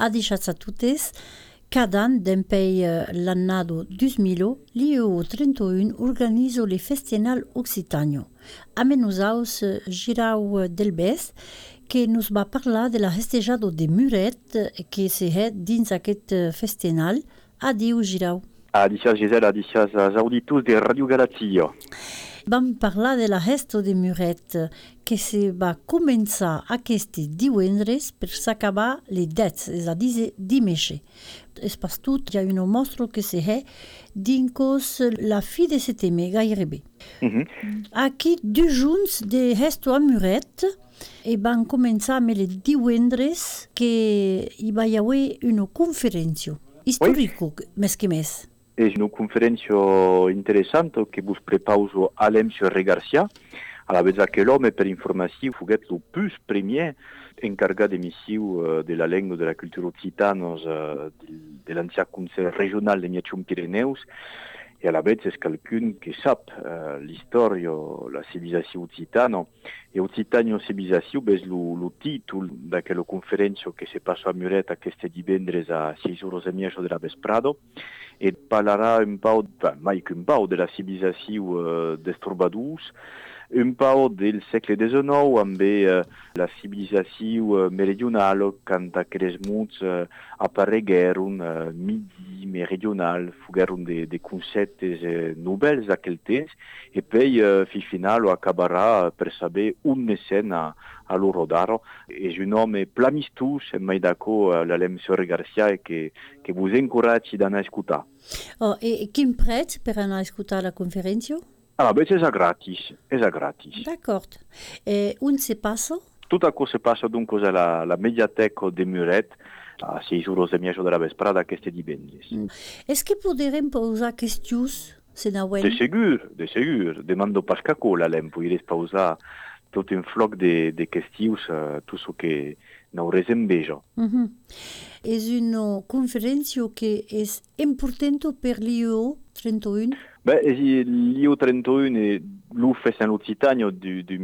A diciassatutes, cada an d'empei l'annado 2000, l'IEO 31 organizo le Festival Occitanio. A menusaus Girau Delbès, que nos va parlar de la festejado de Muret, que se è dins aquest festival. Adiu, Girau. Adicias Gisela, adicias als auditors de Radio Galatia. Vam parlar de la festa de Muret, que se va començar aquest divendres per s'acabar les 10, és a dir, dimanche. És pas tot, hi ha un mostra que se è dins la fi de setembre, gairebé. Aquí, 2 junts de festa a Muret, e van començar amb el divendres que hi va haver una conferència històrica, més que més. És una conferència interessant que vos prepauso Alem Sorre Garcia, a la vez que l'home per informació foguet el plus premier encargat d'emissió de la llengua de la cultura occitana de l'ancià Consell Regional de Miachum Pirineus, e a la vez és quelqu'un que sap l'història, la civilizació occitana, e Occitanio Civilizació és el títol d'aquella conferència que se passa a Muret aquest divendres a 6:30 de la vesprada, et parlarà un pau, mai que un pau, de la civilizació dels trobadors, un pau del segle XIX amb la civilizació meridional quand aquells mots aparegueren midi, meridional, fogueren de conceptes novells d'aquell temps, e poi final acabarà per saber un escena a loro d'aro. És un home plamistós, mai d'acord l'Alem Sorre Garcia, que vos encoratgi d'anar a escoltar. E quin prez per anar a escoltar la conferència? Beh, és gratis. D'acord. On se passa? Tot això se passa donc a la mediateca de Muret a 6:30 de la vesprada aquest divendres. Est-ce que podrem posar qüestions? De segur. Demando pas caco, l'Alem, podries pausar tot un floc de qüestions, tot ce que n'hauràs enveja. És una conferència que és important per l'IEO 31? L'IEO 31 è l'UFES en l'Occitania du